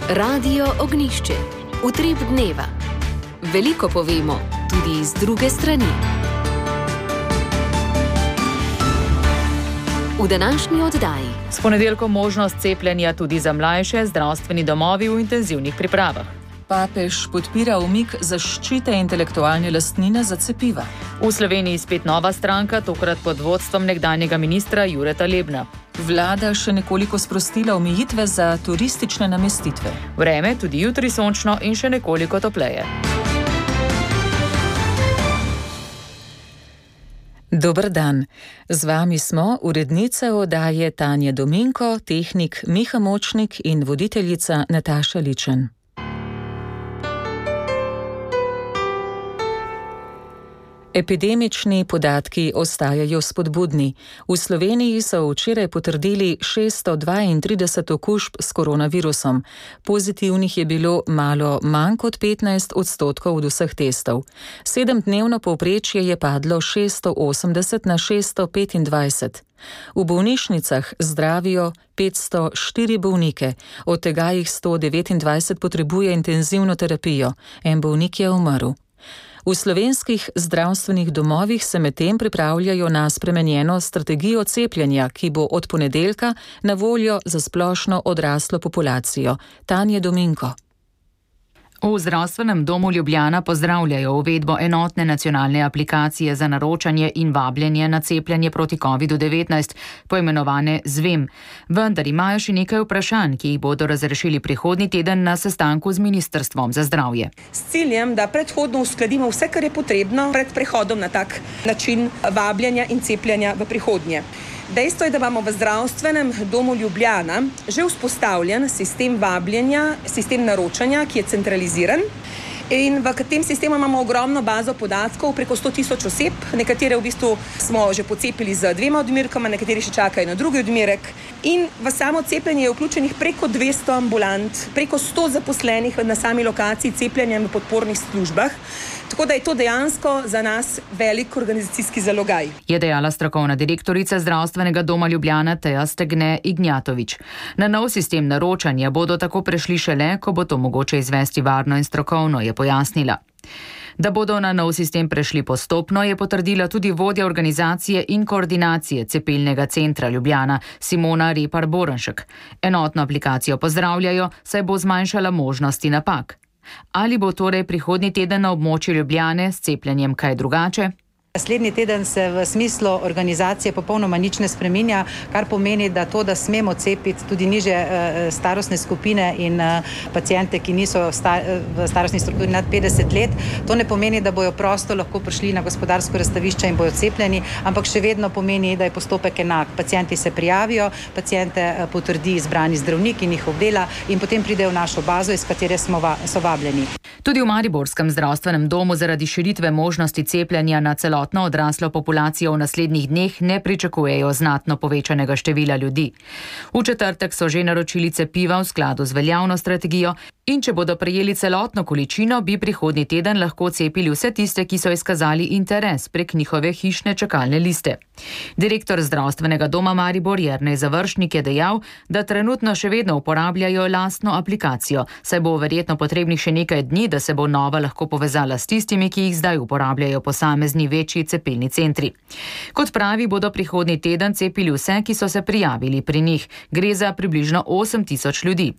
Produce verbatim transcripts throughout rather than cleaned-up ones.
Radio Ognišče, utrip dneva. Veliko povemo, tudi z druge strani. V današnji oddaji. S ponedeljkom možnost cepljenja tudi za mlajše, zdravstveni domovi v intenzivnih pripravah. Papež podpira umik zaščite intelektualne lastnine za cepiva. V Sloveniji spet nova stranka, tokrat pod vodstvom nekdanjega ministra Jureta Lebna. Vlada še nekoliko sprostila omejitve za turistične namestitve. Vreme tudi jutri sončno in še nekoliko topleje. Dober dan. Z vami smo urednice oddaje Tanja Dominko, tehnik Miha Močnik in voditeljica Nataša Ličen. Epidemični podatki ostajajo spodbudni. V Sloveniji so včeraj potrdili šeststo dvaintrideset okužb s koronavirusom. Pozitivnih je bilo malo manj kot petnajst odstotkov od vseh testov. Sedemdnevno povprečje je padlo šeststo osemdeset na šeststo petindvajset. V bolnišnicah zdravijo petsto štiri bolnike, od tega jih sto devetindvajset potrebuje intenzivno terapijo. En bolnik je umrl. V slovenskih zdravstvenih domovih se medtem pripravljajo na spremenjeno strategijo cepljenja, ki bo od ponedeljka na voljo za splošno odraslo populacijo. Tanja Dominko. V Zdravstvenem domu Ljubljana pozdravljajo uvedbo enotne nacionalne aplikacije za naročanje in vabljenje na cepljenje proti kovidu devetnajst, poimenovane Zvem. Vendar imajo še nekaj vprašanj, ki jih bodo razrešili prihodnji teden na sestanku z Ministrstvom za zdravje. S ciljem, da predhodno uskladimo vse, kar je potrebno pred prehodom na tak način vabljenja in cepljenja v prihodnje. Dejstvo je, da imamo v Zdravstvenem domu Ljubljana že vzpostavljen sistem vabljenja, sistem naročanja, ki je centraliziran. In v tem sistemu imamo ogromno bazo podatkov, preko sto tisoč oseb, nekatere v bistvu smo že pocepili z dvema odmerkama, nekateri še čakajo na drugi odmerek. In v samo cepljenje je vključenih preko dvesto ambulant, preko sto zaposlenih na sami lokaciji cepljenja v podpornih službah. Tako da je to dejansko za nas velik organizacijski zalogaj. Je dejala strokovna direktorica Zdravstvenega doma Ljubljana Teja Stegne Ignjatovič. Na nov sistem naročanja bodo tako prešli šele, ko bo to mogoče izvesti varno in strokovno, je pojasnila. Da bodo na nov sistem prešli postopno, je potrdila tudi vodja organizacije in koordinacije cepilnega centra Ljubljana Simona Repar-Boranšek. Enotno aplikacijo pozdravljajo, saj bo zmanjšala možnosti napak. Ali bo torej prihodnji teden na območju Ljubljane s cepljenjem kaj drugače? Naslednji teden se v smislu organizacije popolnoma nič ne spreminja, kar pomeni, da to, da smemo cepiti tudi nižje starostne skupine in pacijente, ki niso v starostni strukturi nad petdeset let, to ne pomeni, da bojo prosto lahko prišli na gospodarsko razstavišče in bojo cepljeni, ampak še vedno pomeni, da je postopek enak. Pacijenti se prijavijo, pacijente potrdi izbrani zdravnik in jih obdela in potem pridejo v našo bazo, iz katere smo va, so vabljeni. Tudi v Mariborskem zdravstvenem domu zaradi širitve možnosti cepljenja na celotno odraslo populacijo v naslednjih dneh ne pričakujejo znatno povečanega števila ljudi. V četrtek so že naročili cepiva v skladu z veljavno strategijo in če bodo prejeli celotno količino, bi prihodnji teden lahko cepili vse tiste, ki so izkazali interes prek njihove hišne čakalne liste. Direktor Zdravstvenega doma Maribor Jernej Završnik je dejal, da trenutno še vedno uporabljajo lastno aplikacijo, saj bo verjetno potrebnih še nekaj dni, da se bo nova lahko povezala s tistimi, ki jih zdaj uporabljajo posamezni večji cepilni centri. Kot pravi, bodo prihodnji teden cepili vse, ki so se prijavili pri njih. Gre za približno osem tisoč ljudi.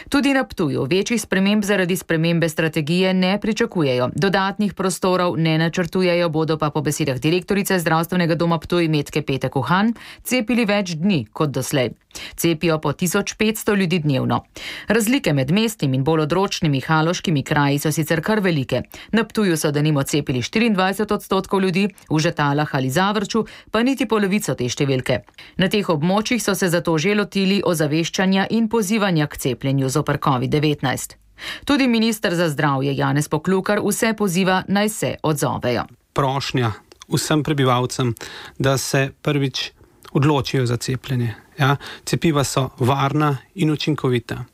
Tudi na Ptuju večjih sprememb zaradi spremembe strategije ne pričakujejo. Dodatnih prostorov ne načrtujejo, bodo pa po besedah direktorice Zdravstvenega doma Ptuj Metke Petek Uhan cepili več dni kot doslej. Cepijo po tisoč petsto ljudi dnevno. Razlike med mestnimi in bolj odročnimi haloškimi kraji so sicer kar velike. Na Ptuju so denimo cepili štiriindvajset odstotkov ljudi, v Žetalah ali Zavrču pa niti polovico te številke. Na teh območjih so se zato že lotili ozaveščanja in pozivanja k cepljenju zoper covid devetnajst. Tudi minister za zdravje Janez Poklukar vse poziva, naj se odzovejo. Prošnja vsem prebivalcem, da se prvič odločijo za cepljenje. Ja, cepiva so varna in učinkovita.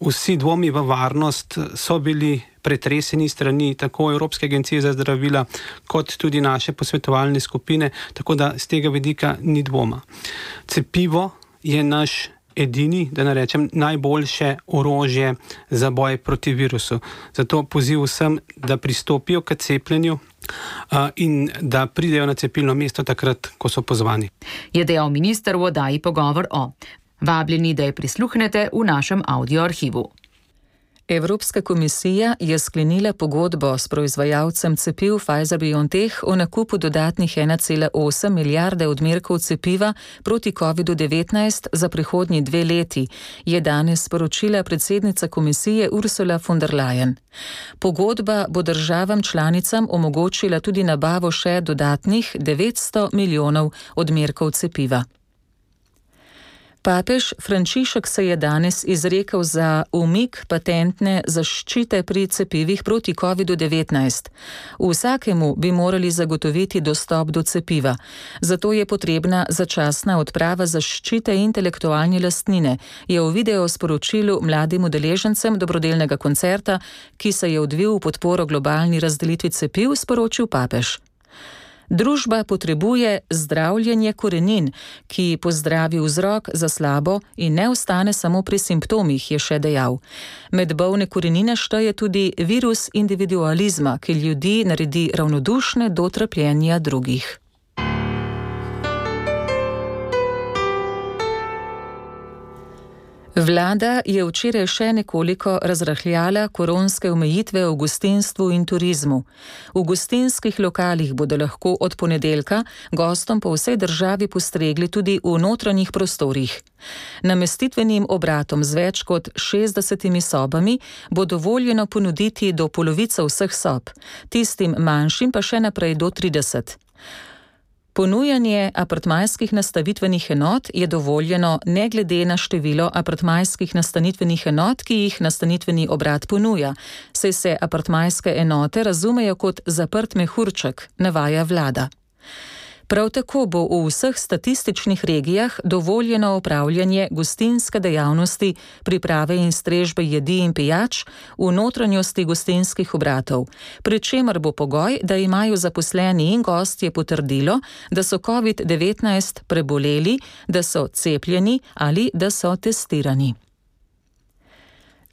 Vsi dvomi v varnost so bili pretreseni strani tako Evropske agencije za zdravila kot tudi naše posvetovalne skupine, tako da z tega vidika ni dvoma. Cepivo je naš edini, da ne rečem, najboljše orožje za boj proti virusu. Zato poziv vsem, da pristopijo k cepljenju uh, in da pridejo na cepilno mesto takrat, ko so pozvani. Je dejal minister v oddaji Pogovor o. Vabljeni, da je prisluhnete v našem audio arhivu. Evropska komisija je sklenila pogodbo s proizvajalcem cepiv Pfizer-BioNTech o nakupu dodatnih ena cela osem milijarde odmerkov cepiva proti kovidu devetnajst za prihodnji dve leti, je danes sporočila predsednica komisije Ursula von der Leyen. Pogodba bo državam članicam omogočila tudi nabavo še dodatnih devetsto milijonov odmerkov cepiva. Papež Frančišek se je danes izrekel za umik patentne zaščite pri cepivih proti kovidu devetnajst. Vsakemu bi morali zagotoviti dostop do cepiva. Zato je potrebna začasna odprava zaščite intelektualne lastnine, je v video sporočilu mladim udeležencem dobrodelnega koncerta, ki se je odvil v podporo globalni razdelitvi cepiv, sporočil papež. Družba potrebuje zdravljenje korenin, ki pozdravi vzrok za slabo in ne ostane samo pri simptomih, je še dejal. Med bolne korenine šteje tudi virus individualizma, ki ljudi naredi ravnodušne do trpljenja drugih. Vlada je včeraj še nekoliko razrahljala koronske omejitve v gostinstvu in turizmu. V gostinskih lokalih bodo lahko od ponedeljka gostom po vsej državi postregli tudi v notranjih prostorih. Namestitvenim obratom z več kot šestdesetimi sobami bo dovoljeno ponuditi do polovice vseh sob, tistim manjšim pa še naprej do trideset. Ponujanje apartmajskih nastanitvenih enot je dovoljeno ne glede na število apartmajskih nastanitvenih enot, ki jih nastanitveni obrat ponuja, saj se apartmajske enote razumejo kot zaprt mehurček, navaja vlada. Prav tako bo v vseh statističnih regijah dovoljeno opravljanje gostinske dejavnosti, priprave in strežbe jedi in pijač v notranjosti gostinskih obratov, pri čemer bo pogoj, da imajo zaposleni in gostje potrdilo, da so covid devetnajst preboleli, da so cepljeni ali da so testirani.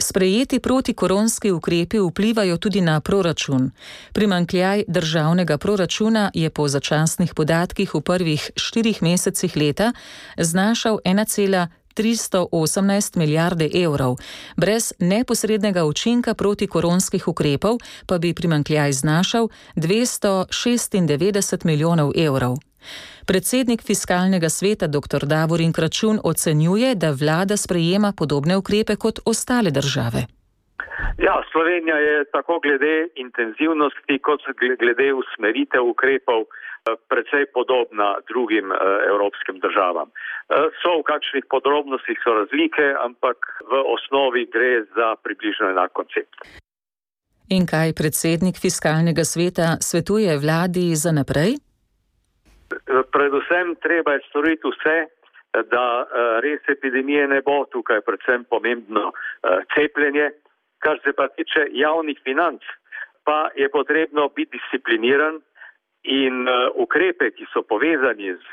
Sprejeti protikoronski ukrepi vplivajo tudi na proračun. Primanjkljaj državnega proračuna je po začasnih podatkih v prvih štirih mesecih leta znašal ena cela tristo osemnajst milijarde evrov. Brez neposrednega učinka protikoronskih ukrepov pa bi primanjkljaj znašal dvesto šestindevetdeset milijonov evrov. Predsednik fiskalnega sveta dr. Davorin Kračun ocenjuje, da vlada sprejema podobne ukrepe kot ostale države. Ja, Slovenija je tako glede intenzivnosti kot glede usmeritev ukrepov precej podobna drugim evropskim državam. So v kakšnih podrobnostih so razlike, ampak v osnovi gre za približno enak koncept. In kaj predsednik fiskalnega sveta svetuje vladi za naprej? Predvsem treba je storiti vse, da res epidemije ne bo, tukaj predvsem pomembno cepljenje. Kar se pa tiče javnih financ, pa je potrebno biti discipliniran in ukrepe, ki so povezani z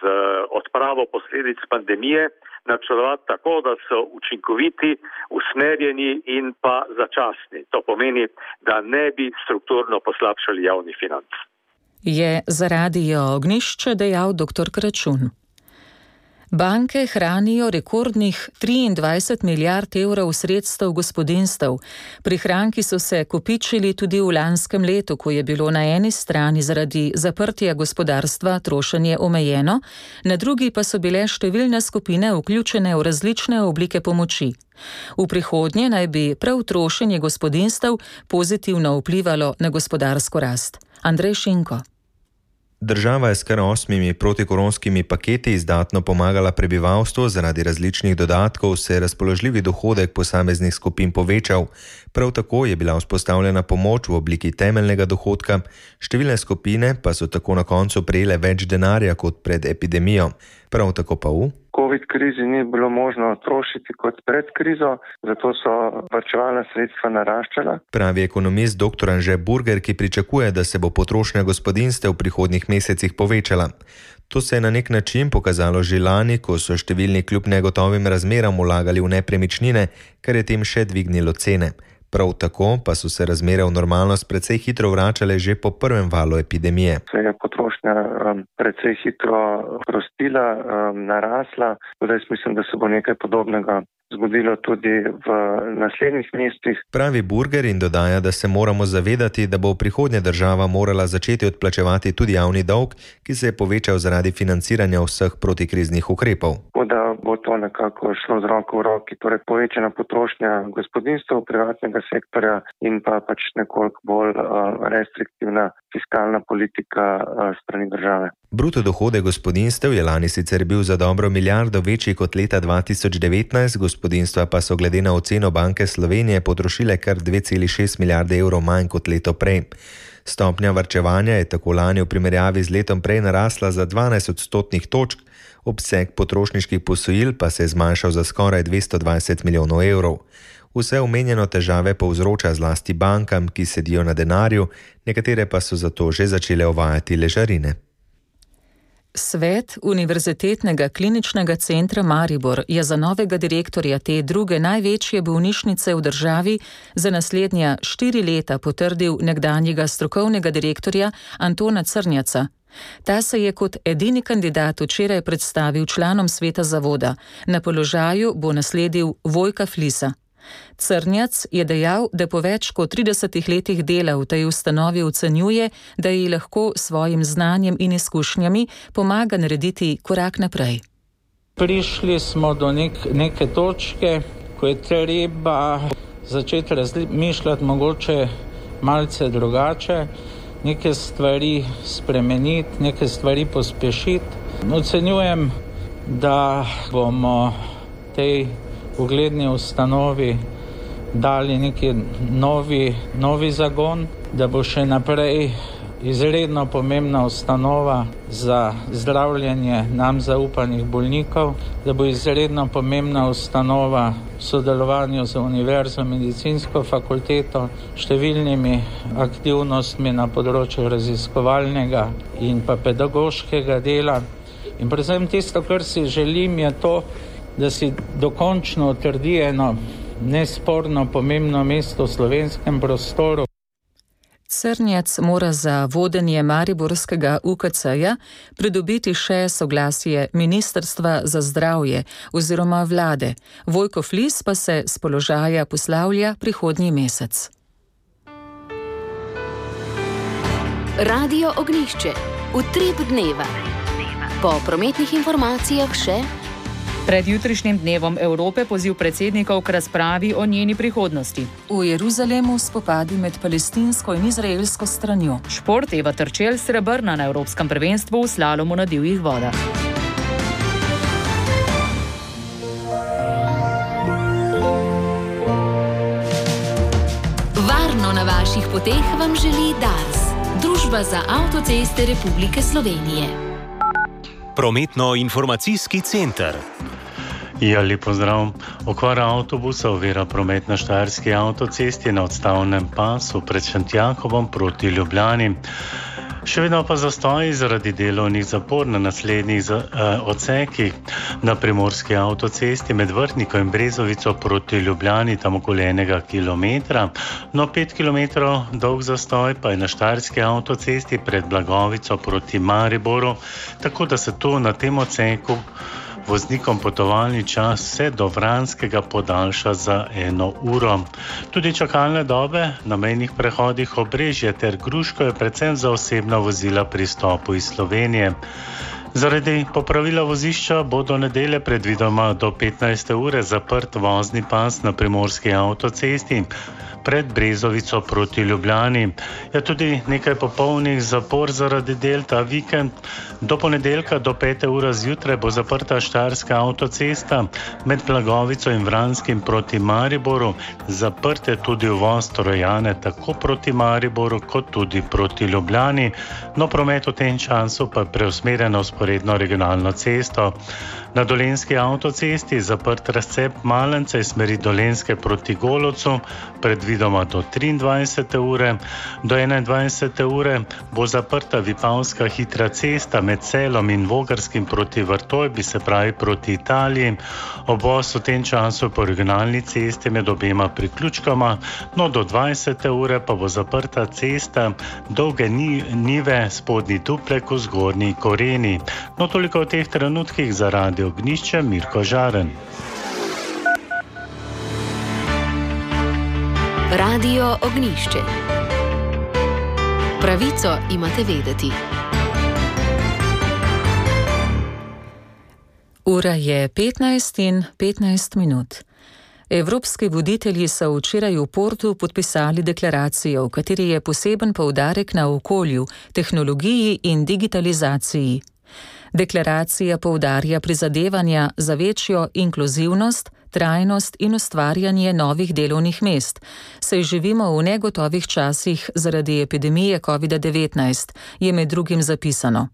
odpravo posledic pandemije, načrtovati tako, da so učinkoviti, usmerjeni in pa začasni. To pomeni, da ne bi strukturno poslabšali javnih financ. Je za Radio Ognjišče dejal dr. Kračun. Banke hranijo rekordnih triindvajset milijard evrov sredstev gospodinjstev. Prihranki so se kopičili tudi v lanskem letu, ko je bilo na eni strani zaradi zaprtja gospodarstva trošenje omejeno, na drugi pa so bile številne skupine vključene v različne oblike pomoči. V prihodnje naj bi prav trošenje gospodinjstev pozitivno vplivalo na gospodarsko rast. Andrej Šinko. Država je s kar osmimi protikoronskimi paketi izdatno pomagala prebivalstvu, zaradi različnih dodatkov se je razpoložljivi dohodek posameznih skupin povečal. Prav tako je bila vzpostavljena pomoč v obliki temeljnega dohodka, številne skupine pa so tako na koncu prejele več denarja kot pred epidemijo. Prav tako pa v Covid krizi ni bilo možno trošiti kot pred krizo, zato so varčevalna sredstva naraščala. Pravi ekonomist dr. Anže Burger, ki pričakuje, da se bo potrošnja gospodinjstev v prihodnjih mesecih povečala. To se je na nek način pokazalo že lani, ko so številni kljub negotovim razmeram vlagali v nepremičnine, kar je tem še dvignilo cene. Prav tako pa so se razmere v normalnost precej hitro vračale že po prvem valu epidemije. Se je potrošnja um, precej hitro prostila, um, narasla, tudi jaz mislim, da se bo nekaj podobnega zgodilo tudi v naslednjih mesecih. Pravi Burger in dodaja, da se moramo zavedati, da bo v prihodnje država morala začeti odplačevati tudi javni dolg, ki se je povečal zaradi financiranja vseh protikriznih ukrepov. Da bo to nekako šlo z roko v roki, torej povečana potrošnja gospodinjstev, privatnega sektorja in pa pač nekoliko bolj uh, restriktivna fiskalna politika uh, strani države. Bruto dohodek gospodinjstev je lani sicer bil za dobro milijardo večji kot leta dva tisoč devetnajst, gospodinjstva pa so glede na oceno Banke Slovenije potrošile kar dve celi šest milijarde evrov manj kot leto prej. Stopnja varčevanja je tako lani v primerjavi z letom prej narasla za dvanajst odstotnih točk, obseg potrošniških posojil pa se je zmanjšal za skoraj dvesto dvajset milijonov evrov. Vse omenjeno težave povzroča zlasti bankam, ki sedijo na denarju, nekatere pa so zato že začele uvajati ležarine. Svet Univerzitetnega kliničnega centra Maribor je za novega direktorja te druge največje bolnišnice v državi za naslednja štiri leta potrdil nekdanjega strokovnega direktorja Antona Crnjaca. Ta se je kot edini kandidat včeraj predstavil članom sveta zavoda. Na položaju bo nasledil Vojka Flisa. Crnjac je dejal, da po več kot tridesetih letih dela v tej ustanovi ocenjuje, da ji lahko svojim znanjem in izkušnjami pomaga narediti korak naprej. Prišli smo do nek, neke točke, ko je treba začeti razmišljati mogoče malce drugače, neke stvari spremeniti, neke stvari pospešiti. Ocenjujem, da bomo tej ugledni ustanovi dali neki novi, novi zagon, da bo še naprej izredno pomembna ustanova za zdravljenje nam zaupanih bolnikov, da bo izredno pomembna ustanova v sodelovanju z Univerzo medicinsko fakulteto, številnimi aktivnostmi na področju raziskovalnega in pa pedagoškega dela. In predvsem tisto, kar si želim, je to, da si dokončno utrdi eno nesporno pomembno mesto v slovenskem prostoru. Crnjac mora za vodenje mariborskega U K C-ja pridobiti še soglasje Ministrstva za zdravje oziroma vlade. Vojko Flis pa se s položaja poslavlja prihodnji mesec. Radio Ognjišče. Utrip dneva. Po prometnih informacijah še Pred jutrišnjim dnevom Evrope poziv predsednikov k razpravi o njeni prihodnosti. V Jeruzalemu spopadi med palestinsko in izraelsko stranjo. Šport Eva Terčelj srebrna na Evropskem prvenstvu v slalomu na divjih vodah. Varno na vaših poteh vam želi Dars, Družba za avtoceste Republike Slovenije. Prometno-informacijski center. Ja, lep pozdrav. Okvara avtobusa ovira promet na Štajerski avtocesti na odstavnem pasu pred Šentjakovom proti Ljubljani. Še vedno pa zastoji zaradi delovnih zapor na naslednjih za, eh, odsekih na Primorski avtocesti med Vrhnikom in Brezovico proti Ljubljani, tam okoli enega kilometra. No, pet kilometrov dolg zastoj pa je na Štajerski avtocesti pred Blagovico proti Mariboru, tako da se tu na tem odseku voznikom potovalni čas vse do Vranskega podaljša za eno uro. Tudi čakalne dobe na mejnih prehodih Obrežje ter Gruško je predvsem za osebna vozila pri stopu iz Slovenije. Zaradi popravila vozišča bo do nedelje predvidoma do petnajste ure zaprt vozni pas na Primorski avtocesti. pred Brezovico proti Ljubljani. Je tudi nekaj popolnih zapor zaradi del ta vikend. Do ponedeljka do pete ure zjutraj bo zaprta štajerska avtocesta med Blagovico in Vranskim proti Mariboru. Zaprt je tudi uvoz Trojane tako proti Mariboru kot tudi proti Ljubljani. No, promet v tem času pa je preusmerjen na vzporedno regionalno cesto. Na Dolenjski avtocesti zaprt razcep Malence iz smeri Dolenjske proti Golovcu, predvidoma do triindvajsete ure. Do enaindvajsete ure bo zaprta Vipavska hitra cesta med Celom in Vogarskim proti Vrtojbi, se pravi proti Italiji. Obvoz v tem času po regionalni cesti med obema priključkama, no do dvajsete ure pa bo zaprta cesta Dolge Nive, Spodnji Duplek v Zgornji Koreni. No, toliko v teh trenutkih za Radio Ognišče, Mirko Žaren. Radio Ognišče. Pravico imate vedeti. Ura je petnajst in petnajst minut. Evropski voditelji so včeraj v Portu podpisali deklaracijo, v kateri je poseben poudarek na okolju, tehnologiji in digitalizaciji. Deklaracija poudarja prizadevanja za večjo inkluzivnost, trajnost in ustvarjanje novih delovnih mest, saj živimo v negotovih časih zaradi epidemije covid devetnajst, je med drugim zapisano.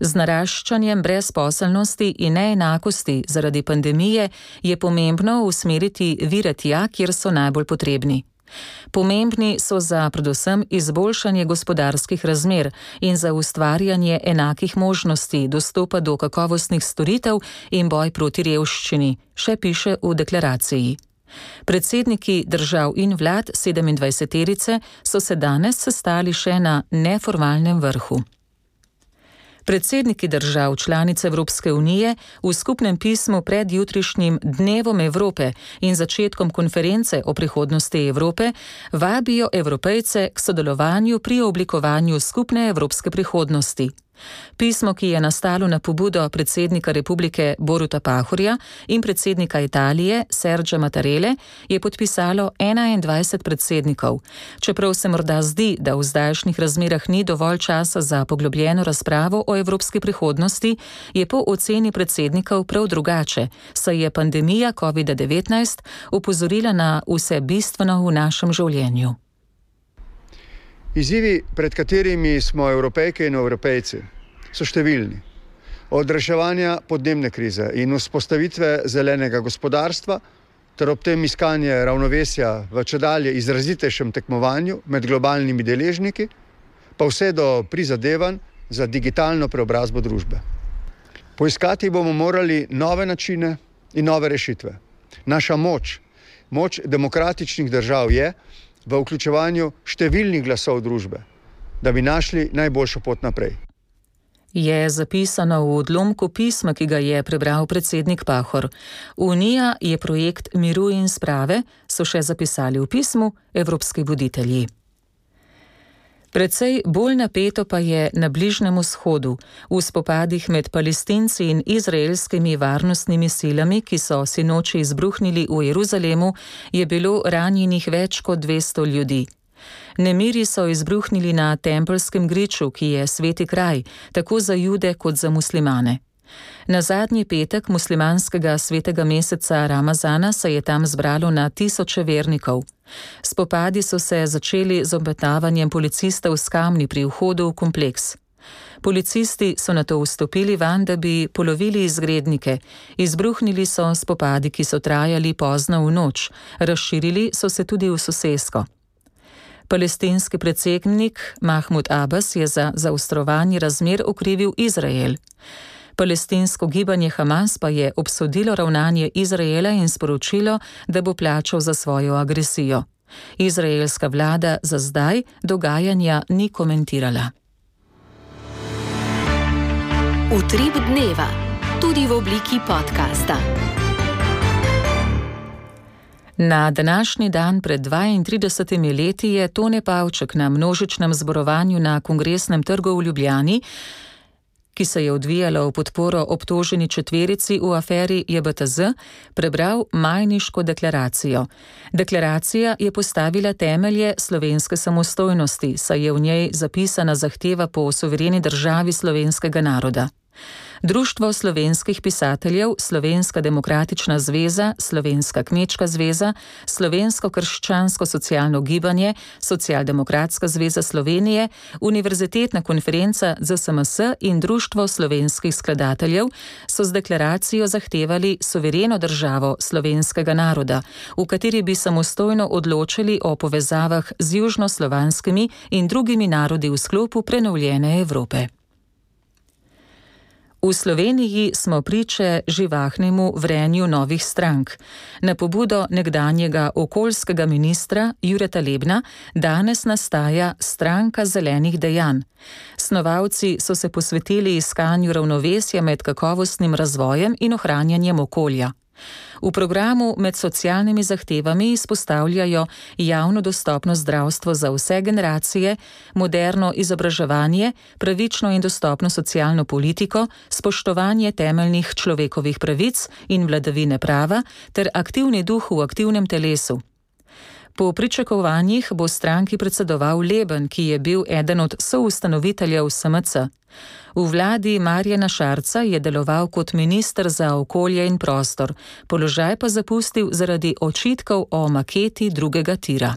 Z naraščanjem brezposelnosti in neenakosti zaradi pandemije je pomembno usmeriti vire tja, kjer so najbolj potrebni. Pomembni so za predvsem izboljšanje gospodarskih razmer in za ustvarjanje enakih možnosti dostopa do kakovostnih storitev in boj proti revščini, še piše v deklaraciji. Predsedniki držav in vlad sedemindvajseterice so se danes sestali še na neformalnem vrhu. Predsedniki držav članic Evropske unije v skupnem pismu pred jutrišnjim Dnevom Evrope in začetkom konference o prihodnosti Evrope vabijo Evropejce k sodelovanju pri oblikovanju skupne evropske prihodnosti. Pismo, ki je nastalo na pobudo predsednika Republike Boruta Pahorja in predsednika Italije Sergia Mattarelle, je podpisalo enaindvajset predsednikov. Čeprav se morda zdi, da v zdajšnjih razmerah ni dovolj časa za poglobljeno razpravo o evropski prihodnosti, je po oceni predsednikov prav drugače, saj je pandemija covid devetnajst opozorila na vse bistveno v našem življenju. Izzivi, pred katerimi smo Evropejke in Evropejci, so številni. Od reševanja podnebne krize in vzpostavitve zelenega gospodarstva ter ob tem iskanje ravnovesja v čedalje izrazitejšem tekmovanju med globalnimi deležniki, pa vse do prizadevanj za digitalno preobrazbo družbe. Poiskati bomo morali nove načine in nove rešitve. Naša moč, moč demokratičnih držav je v vključevanju številnih glasov družbe, da bi našli najboljšo pot naprej. Je zapisano v odlomku pisma, ki ga je prebral predsednik Pahor. Unija je projekt miru in sprave, so še zapisali v pismu evropski voditelji. Precej bolj napeto pa je na Bližnjem vzhodu, v spopadih med Palestinci in izraelskimi varnostnimi silami, ki so sinoči izbruhnili v Jeruzalemu, je bilo ranjenih več kot dvesto ljudi. Nemiri so izbruhnili na Tempelskem griču, ki je sveti kraj, tako za Jude kot za muslimane. Na zadnji petek muslimanskega svetega meseca Ramazana se je tam zbralo na tisoče vernikov. Spopadi so se začeli z obmetavanjem policistov s kamni pri vhodu v kompleks. Policisti so nato vstopili vanj, da bi polovili izgrednike. Izbruhnili so spopadi, ki so trajali pozno v noč. Razširili so se tudi v sosesko. Palestinski predsednik Mahmud Abbas je za zaostrovanje razmer okrivil Izrael. Palestinsko gibanje Hamas pa je obsodilo ravnanje Izraela in sporočilo, da bo plačal za svojo agresijo. Izraelska vlada za zdaj dogajanja ni komentirala. Utrip dneva, tudi v obliki podcasta. Na današnji dan pred dvaintridesetimi leti je Tone Pavček na množičnem zborovanju na Kongresnem trgu v Ljubljani ki se je odvijala v podporo obtoženi četverici v aferi J B T Z, prebral Majniško deklaracijo. Deklaracija je postavila temelje slovenske samostojnosti, saj je v njej zapisana zahteva po suvereni državi slovenskega naroda. Društvo slovenskih pisateljev, Slovenska demokratična zveza, Slovenska kmečka zveza, Slovensko krščansko-socialno gibanje, Socialdemokratska zveza Slovenije, Univerzitetna konferenca Z S M S in Društvo slovenskih skladateljev so z deklaracijo zahtevali suvereno državo slovenskega naroda, v kateri bi samostojno odločili o povezavah z južnoslovanskimi in drugimi narodi v sklopu prenovljene Evrope. V Sloveniji smo priče živahnemu vrenju novih strank. Na pobudo nekdanjega okoljskega ministra Jureta Lebna danes nastaja Stranka zelenih dejanj. Snovalci so se posvetili iskanju ravnovesja med kakovostnim razvojem in ohranjanjem okolja. V programu med socialnimi zahtevami izpostavljajo javno dostopno zdravstvo za vse generacije, moderno izobraževanje, pravično in dostopno socialno politiko, spoštovanje temeljnih človekovih pravic in vladavine prava ter aktivni duh v aktivnem telesu. Po pričakovanjih bo stranki predsedoval Leben, ki je bil eden od soustanoviteljev S M C. V vladi Marjana Šarca je deloval kot minister za okolje in prostor, položaj pa zapustil zaradi očitkov o maketi drugega tira.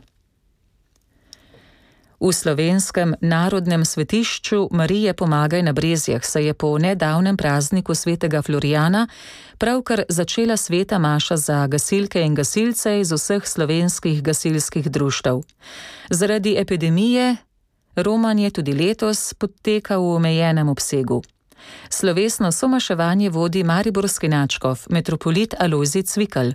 V slovenskem narodnem svetišču Marije Pomagaj na Brezjah se je po nedavnem prazniku svetega Florijana pravkar začela sveta maša za gasilke in gasilce iz vseh slovenskih gasilskih društev. Zaradi epidemije romanje tudi letos poteka v omejenem obsegu. Slovesno somaševanje vodi mariborski nadškof, metropolit Alojzij Cvikl.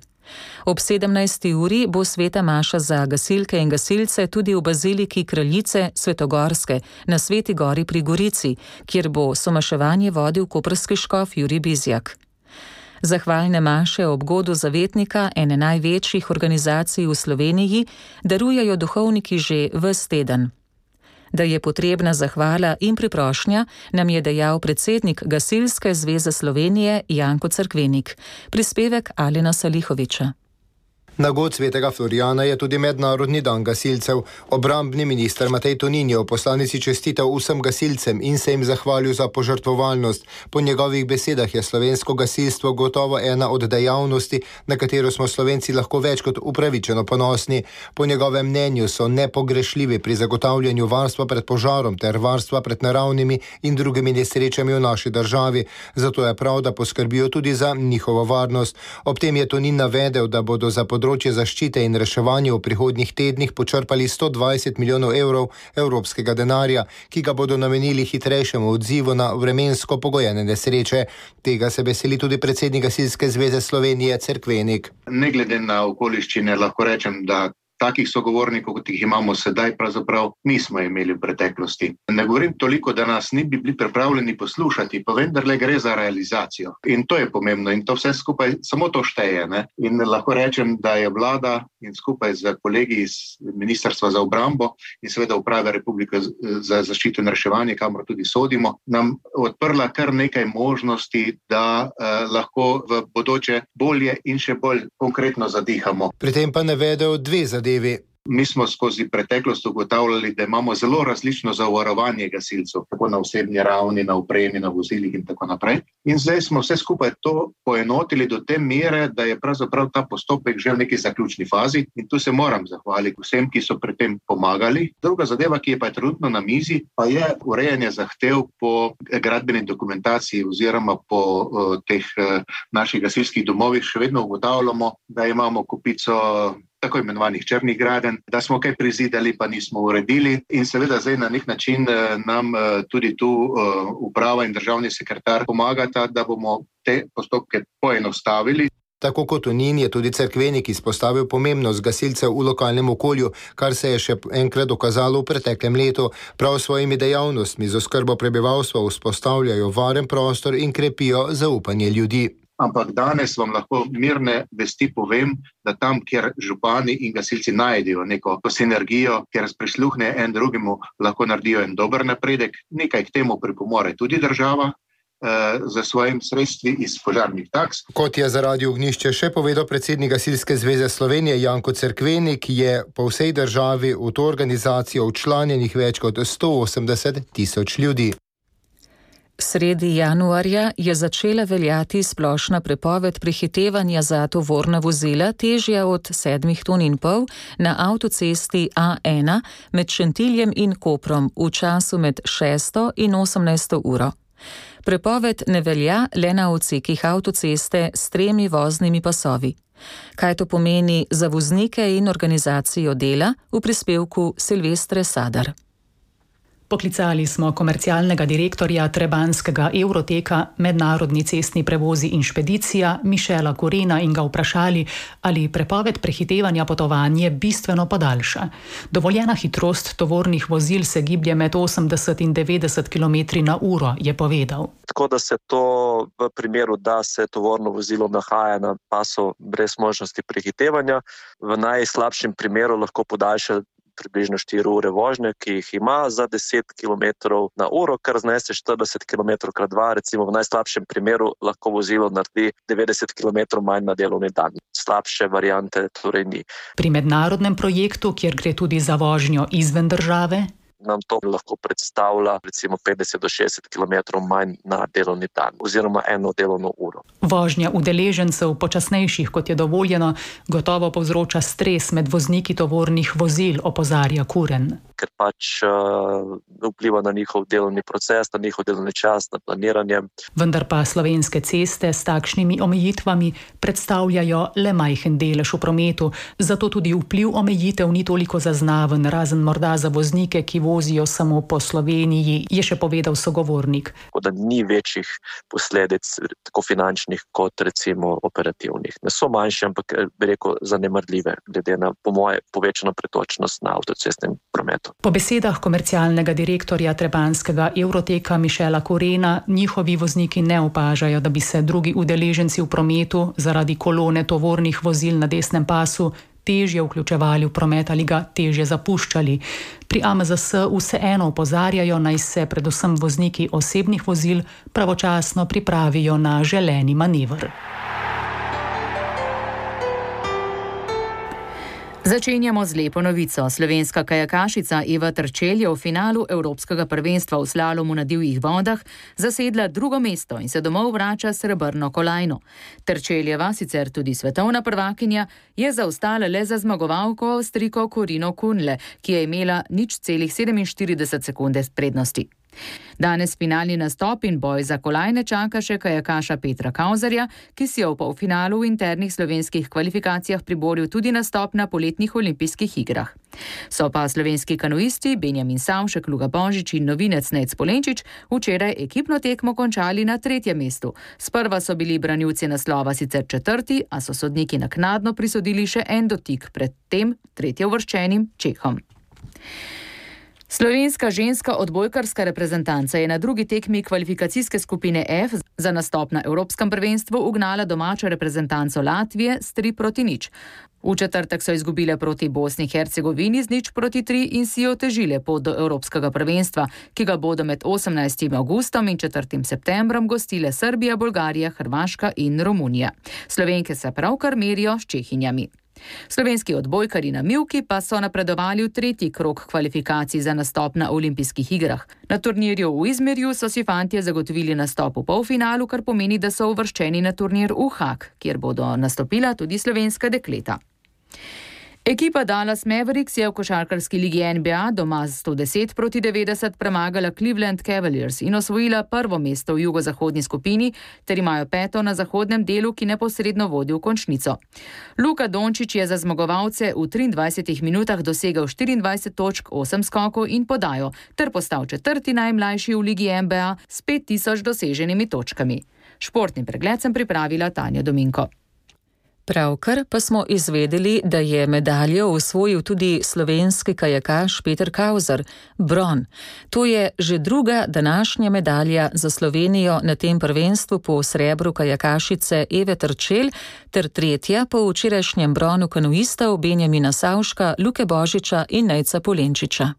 Ob sedemnajsti uri bo sveta maša za gasilke in gasilce tudi v baziliki Kraljice Svetogorske na Sveti Gori pri Gorici, kjer bo somaševanje vodil koprski škof Jurij Bizjak. Zahvalne maše ob godu zavetnika, ene največjih organizacij v Sloveniji, darujejo duhovniki že ves teden. Da je potrebna zahvala in priprošnja, nam je dejal predsednik Gasilske zveze Slovenije Janko Cerkvenik. Prispevek Alena Salihoviča. Na god svetega Florijana je tudi mednarodni dan gasilcev. Obrambni minister Matej Tonin je v poslanici čestital vsem gasilcem in se jim zahvalil za požrtvovalnost. Po njegovih besedah je slovensko gasilstvo gotovo ena od dejavnosti, na katero smo Slovenci lahko več kot upravičeno ponosni. Po njegovem mnenju so nepogrešljivi pri zagotavljanju varstva pred požarom ter varstva pred naravnimi in drugimi nesrečami v naši državi. Zato je prav, da poskrbijo tudi za njihovo varnost. Ob tem je Tonin navedel, da bodo za področje področje zaščite in reševanja v prihodnjih tednih počrpali sto dvajset milijonov evrov evropskega denarja, ki ga bodo namenili hitrejšemu odzivu na vremensko pogojene nesreče. Tega se veseli tudi predsednik Gasilske zveze Slovenije Cerkvenik. Ne glede na okoliščine lahko rečem, da takih sogovornikov, kot jih imamo sedaj, pravzaprav nismo imeli v preteklosti. Ne govorim toliko, da nas ni bi bili pripravljeni poslušati, pa vendarle gre za realizacijo. In to je pomembno in to vse skupaj, samo to šteje. Ne? In lahko rečem, da je vlada in skupaj z kolegi iz Ministrstva za obrambo in seveda Uprave Republike za zaščito in reševanje, kamor tudi sodimo, nam odprla kar nekaj možnosti, da eh, lahko v bodoče bolje in še bolj konkretno zadihamo. Pri tem pa navedel dve zadevi. Mi smo skozi preteklost ugotavljali, da imamo zelo različno zavarovanje gasilcev, tako na osebni ravni, na opremi, na vozilih in tako naprej. In zdaj smo vse skupaj to poenotili do te mere, da je pravzaprav ta postopek že v neki zaključni fazi in tu se moram zahvaliti vsem, ki so pri tem pomagali. Druga zadeva, ki je pa trenutno na mizi, pa je urejanje zahtev po gradbeni dokumentaciji oziroma po uh, teh uh, naših gasilskih domovih. Še vedno ugotavljamo, da imamo kupico tako imenovanih črnih gradenj, da smo kaj prizidali, pa nismo uredili in seveda zdaj na nek način nam tudi tu uprava in državni sekretar pomagata, da bomo te postopke poenostavili. Tako kot Tonin je tudi Cerkvenik izpostavil pomembnost gasilcev v lokalnem okolju, kar se je še enkrat dokazalo v preteklem letu. Prav svojimi dejavnostmi z oskrbo prebivalstva vzpostavljajo varen prostor in krepijo zaupanje ljudi. Ampak danes vam lahko mirne vesti povem, da tam, kjer župani in gasilci najdejo neko sinergijo, kjer prisluhne en drugemu, lahko naredijo en dober napredek. Nekaj k temu pripomore tudi država, za svojim sredstvi iz požarnih taks. Kot je za Radio Ognjišče še povedal predsednik Gasilske zveze Slovenije Janko Cerkvenik, je po vsej državi v to organizacijo včlanjenih več kot sto osemdeset tisoč ljudi. Sredi januarja je začela veljati splošna prepoved prehitevanja za tovorna vozila težja od sedmih ton in pol na avtocesti A ena med Šentiljem in Koprom v času med šesto in osemnajsto uro. Prepoved ne velja le na odsekih avtoceste s tremi voznimi pasovi. Kaj to pomeni za voznike in organizacijo dela, v prispevku Silvestre Sadar. Poklicali smo komercialnega direktorja trebanskega Euroteka Mednarodni cestni prevozi in špedicija Mišela Korena in ga vprašali, ali prepoved prehitevanja potovanje bistveno podaljša. Dovoljena hitrost tovornih vozil se giblje med osemdeset in devetdeset kilometrov na uro, je povedal. Tako da se to v primeru, da se tovorno vozilo nahaja na pasu brez možnosti prehitevanja, v najslabšem primeru lahko podaljša približno štiri ure vožnje, ki jih ima za deset kilometrov na uro, kar znese štirideset kilometrov krat dva, recimo v najslabšem primeru lahko vozilo naredi devetdeset kilometrov manj na delovni dan. Slabše variante torej ni. Pri mednarodnem projektu, kjer gre tudi za vožnjo izven države, nam to lahko predstavlja recimo petdeset do šestdeset kilometrov manj na delovni dan oziroma eno delovno uro. Vožnja udeležencev počasnejših, kot je dovoljeno, gotovo povzroča stres med vozniki tovornih vozil, opozarja Kuren. Ker pač uh, vpliva na njihov delovni proces, na njihov delovni čas, na planiranje. Vendar pa slovenske ceste s takšnimi omejitvami predstavljajo le majhen delež v prometu, zato tudi vpliv omejitev ni toliko zaznaven, razen morda za voznike, ki vozijo samo po Sloveniji, je še povedal sogovornik. Tako da ni večjih posledic, tako finančnih kot recimo operativnih. Ne so manjše, ampak bi rekel zanemarljive, glede na po moje povečano pretočnost na avtocestnem prometu. Po besedah komercialnega direktorja trebanskega Euroteka Mišela Korena, njihovi vozniki ne opažajo, da bi se drugi udeleženci v prometu zaradi kolone tovornih vozil na desnem pasu težje vključevali v promet ali ga težje zapuščali. Pri A M Z S vseeno opozarjajo, naj se predvsem vozniki osebnih vozil pravočasno pripravijo na želeni manever. Začenjamo z lepo novico. Slovenska kajakašica Eva Terčelj je v finalu Evropskega prvenstva v slalomu na divjih vodah zasedla drugo mesto in se domov vrača s srebrno kolajno. Terčeljeva, sicer tudi svetovna prvakinja, je zaostala le za zmagovalko Avstrijko Corino Kunle, ki je imela nič celih sedeminštirideset sekunde prednosti. Danes finalni nastop in boj za kolajne čaka še kajakaša Petra Kauzerja, ki si je v polfinalu v internih slovenskih kvalifikacijah priboril tudi nastop na poletnih olimpijskih igrah. So pa slovenski kanuisti Benjamin Savšek, Luka Božič in novinec Nejc Polenčič včeraj ekipno tekmo končali na tretjem mestu. Sprva so bili branilci naslova sicer četrti, a so sodniki naknadno prisodili še en dotik pred tem tretjeuvrščenim Čehom. Slovenska ženska odbojkarska reprezentanca je na drugi tekmi kvalifikacijske skupine F za nastop na Evropskem prvenstvu ugnala domačo reprezentanco Latvije s tri proti nič. V četrtek so izgubile proti Bosni in Hercegovini z nič proti tri in si otežile pot do Evropskega prvenstva, ki ga bodo med osemnajstim avgustom in četrtim septembrom gostile Srbija, Bolgarija, Hrvaška in Romunija. Slovenke se pravkar merijo s Čehinjami. Slovenski odbojkarji na mivki pa so napredovali v tretji krog kvalifikacij za nastop na olimpijskih igrah. Na turnirju v Izmirju so si fantje zagotovili nastop v polfinalu, kar pomeni, da so uvrščeni na turnir v Haag, kjer bodo nastopila tudi slovenska dekleta. Ekipa Dallas Mavericks je v košarkarski ligi N B A doma z sto deset proti devetdeset premagala Cleveland Cavaliers in osvojila prvo mesto v jugozahodni skupini, ter imajo peto na zahodnem delu, ki neposredno vodi v končnico. Luka Dončić je za zmagovalce v triindvajsetih minutah dosegel štiriindvajset točk, osem skokov in podajo, ter postal četrti najmlajši v ligi N B A s pet tisoč doseženimi točkami. Športni pregled sem pripravila Tanja Dominko. Pravkar pa smo izvedeli, da je medaljo osvojil tudi slovenski kajakaš Peter Kauzer, bron. To je že druga današnja medalja za Slovenijo na tem prvenstvu po srebru kajakašice Eve Terčelj, ter tretja po včerajšnjem bronu kanuistov Benjamina Savška, Luke Božiča in Nejca Polenčiča.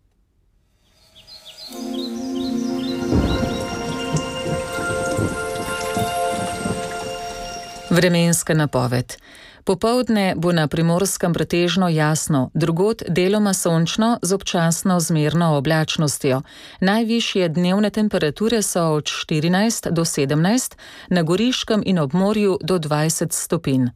Vremenska napoved. Popoldne bo na Primorskem pretežno jasno, drugod deloma sončno z občasno zmerno oblačnostjo. Najvišje dnevne temperature so od štirinajst do sedemnajst, na Goriškem in ob morju do dvajset stopinj.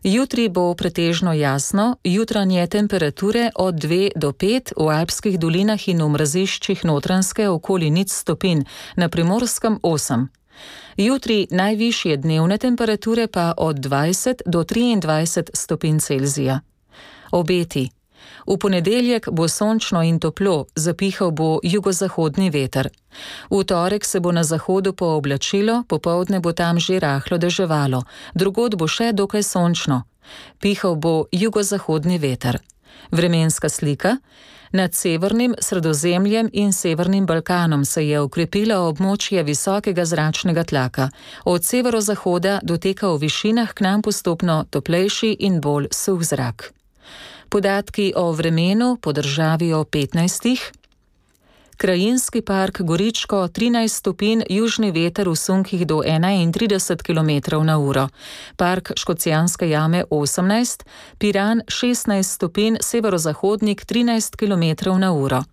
Jutri bo pretežno jasno, jutranje temperature od dve do pet, v alpskih dolinah in v mraziščih Notranjske okoli nič stopinj, na Primorskem osem. Jutri najvišje dnevne temperature pa od dvajset do triindvajset stopinj Celzija. Obeti. V ponedeljek bo sončno in toplo, zapihal bo jugozahodni veter. V torek se bo na zahodu pooblačilo, popoldne bo tam že rahlo deževalo, drugod bo še dokaj sončno. Pihal bo jugozahodni veter. Vremenska slika. Nad severnim Sredozemljem in severnim Balkanom se je ukrepilo območje visokega zračnega tlaka. Od severozahoda doteka v višinah k nam postopno toplejši in bolj suh zrak. Podatki o vremenu po državi o petnajstih. Krajinski park Goričko trinajst stopinj, južni veter v sunkih do enaintrideset kilometrov na uro. Park Škocjanske jame osemnajst, Piran šestnajst stopinj, severozahodnik trinajst kilometrov na uro.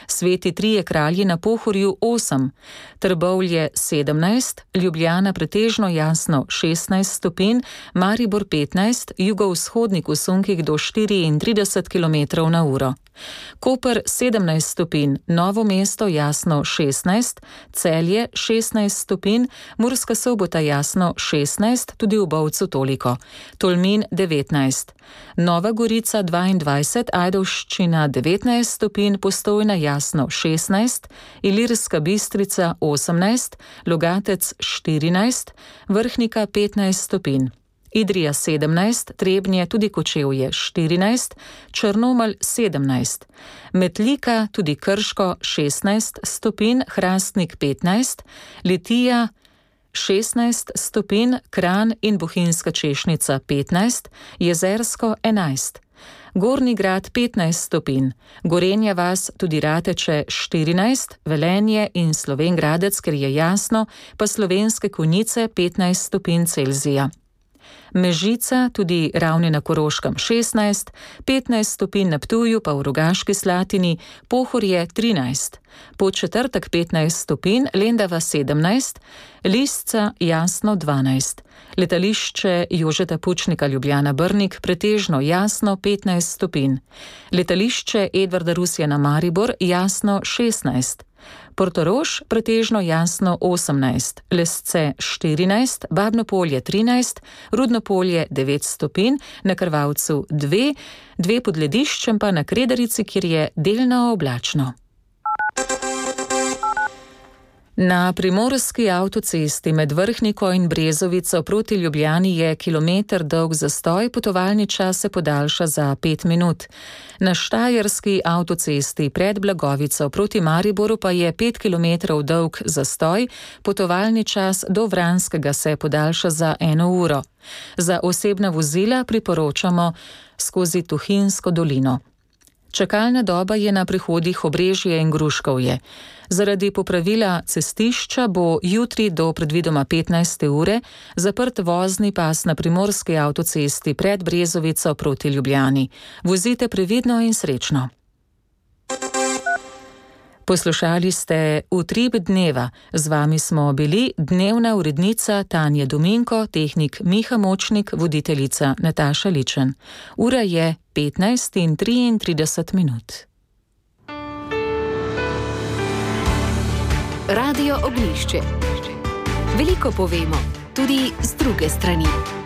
Sveti trije kralji na Pohorju osem, Trbovlje sedemnajst, Ljubljana pretežno jasno šestnajst stopinj, Maribor petnajst, jugovzhodnik v sunkih do štiriintrideset kilometrov na uro. Koper sedemnajst stopinj, Novo mesto jasno šestnajst, Celje šestnajst stopinj, Murska Sobota jasno šestnajst, tudi v Bovcu toliko, Tolmin devetnajst, Nova Gorica dvaindvajset, Ajdovščina devetnajst stopinj, Postojna jasno šestnajst, Ilirska Bistrica osemnajst, Logatec štirinajst, Vrhnika petnajst stopinj. Idrija sedemnajst, Trebnje, tudi Kočevje štirinajst, Črnomelj sedemnajst, Metlika, tudi Krško šestnajst stopinj, Hrastnik petnajst, Litija šestnajst stopinj, Kranj in Bohinjska Češnica petnajst, Jezersko enajst. Gornji Grad petnajst stopinj, Gorenja vas, tudi Rateče štirinajst, Velenje in Slovenj Gradec, ker je jasno, pa Slovenske Konjice petnajst stopinj Celzija. Mežica, tudi Ravne na Koroškem šestnajst, petnajst stopinj na Ptuju, pa v Rogaški Slatini, Pohorje trinajst, Podčetrtek petnajst stopinj, Lendava sedemnajst, Lisca jasno dvanajst, Letališče Jožeta Pučnika Ljubljana Brnik pretežno jasno petnajst stopinj, Letališče Edvarda Rusjana Maribor jasno šestnajst, Portorož pretežno jasno osemnajst, Lesce štirinajst, Babno Polje trinajst, Rudno Polje devet stopinj, na Krvavcu dve, dve pod lediščem pa na Kredarici, kjer je delno oblačno. Na primorski avtocesti med Vrhniko in Brezovico proti Ljubljani je kilometer dolg zastoj, potovalni čas se podaljša za pet minut. Na štajerski avtocesti pred Blagovico proti Mariboru pa je pet kilometrov dolg zastoj, potovalni čas do Vranskega se podaljša za eno uro. Za osebna vozila priporočamo skozi Tuhinjsko dolino. Čakalna doba je na prehodih Obrežje in Gruškovje. Zaradi popravila cestišča bo jutri do predvidoma petnajste ure zaprt vozni pas na primorski avtocesti pred Brezovico proti Ljubljani. Vozite previdno in srečno. Poslušali ste Utrip dneva. Z vami smo bili dnevna urednica Tanja Dominko, tehnik Miha Močnik, voditeljica Nataša Ličen. Ura je petnajst in triintrideset minut. Radio Oglišče. Veliko povemo, tudi z druge strani.